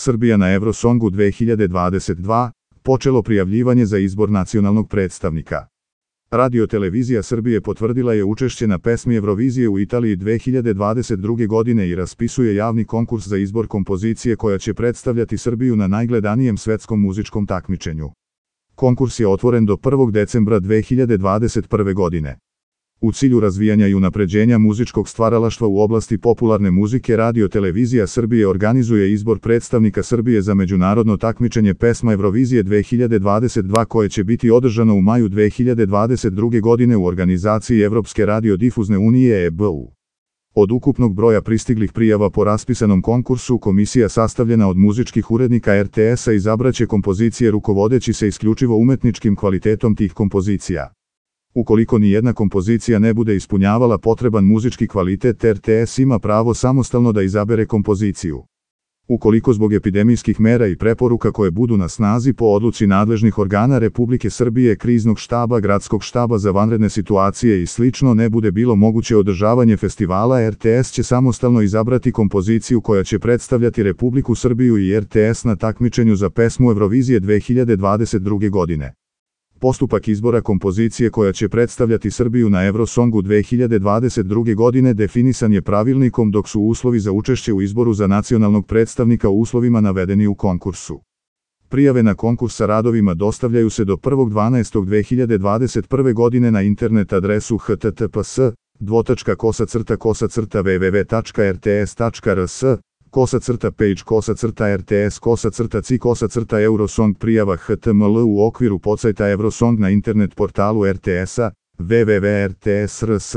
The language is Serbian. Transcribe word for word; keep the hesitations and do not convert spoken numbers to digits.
Srbija na Eurosongu dve hiljade dvadeset dva, počelo prijavljivanje za izbor nacionalnog predstavnika. Radio-televizija Srbije potvrdila je učešće na pesmi Eurovizije u Italiji dve hiljade dvadeset druge. godine i raspisuje javni konkurs za izbor kompozicije koja će predstavljati Srbiju na najgledanijem svetskom muzičkom takmičenju. Konkurs je otvoren do prvog decembra dve hiljade dvadeset prve. godine. U cilju razvijanja i unapređenja muzičkog stvaralaštva u oblasti popularne muzike, Radio-televizija Srbije organizuje izbor predstavnika Srbije za međunarodno takmičenje pesma Eurovizije dve hiljade dvadeset dva koje će biti održano u maju dve hiljade dvadeset druge. godine u organizaciji Evropske radiodifuzne unije E B U. Od ukupnog broja pristiglih prijava po raspisanom konkursu, komisija sastavljena od muzičkih urednika R T S-a izabraće kompozicije rukovodeći se isključivo umetničkim kvalitetom tih kompozicija. Ukoliko ni jedna kompozicija ne bude ispunjavala potreban muzički kvalitet, R T S ima pravo samostalno da izabere kompoziciju. Ukoliko zbog epidemijskih mera i preporuka koje budu na snazi po odluci nadležnih organa Republike Srbije, kriznog štaba, gradskog štaba za vanredne situacije i slično ne bude bilo moguće održavanje festivala, R T S će samostalno izabrati kompoziciju koja će predstavljati Republiku Srbiju i R T S na takmičenju za pesmu Eurovizije dve hiljade dvadeset druge. godine. Postupak izbora kompozicije koja će predstavljati Srbiju na Eurosongu dve hiljade dvadeset druge. godine definisan je pravilnikom, dok su uslovi za učešće u izboru za nacionalnog predstavnika u uslovima navedeni u konkursu. Prijave na konkurs sa radovima dostavljaju se do prvog dvanaestog dve hiljade dvadeset prve. godine na internet adresu h t t p s dvotačka kosa crta kosa crta w w w tačka r t s tačka r s kosa crta page kosa crta rts kosa crta ci kosa crta Eurosong prijava H T M L u okviru podsajta Eurosong na internet portalu R T S-a w w w tačka r t s tačka r s.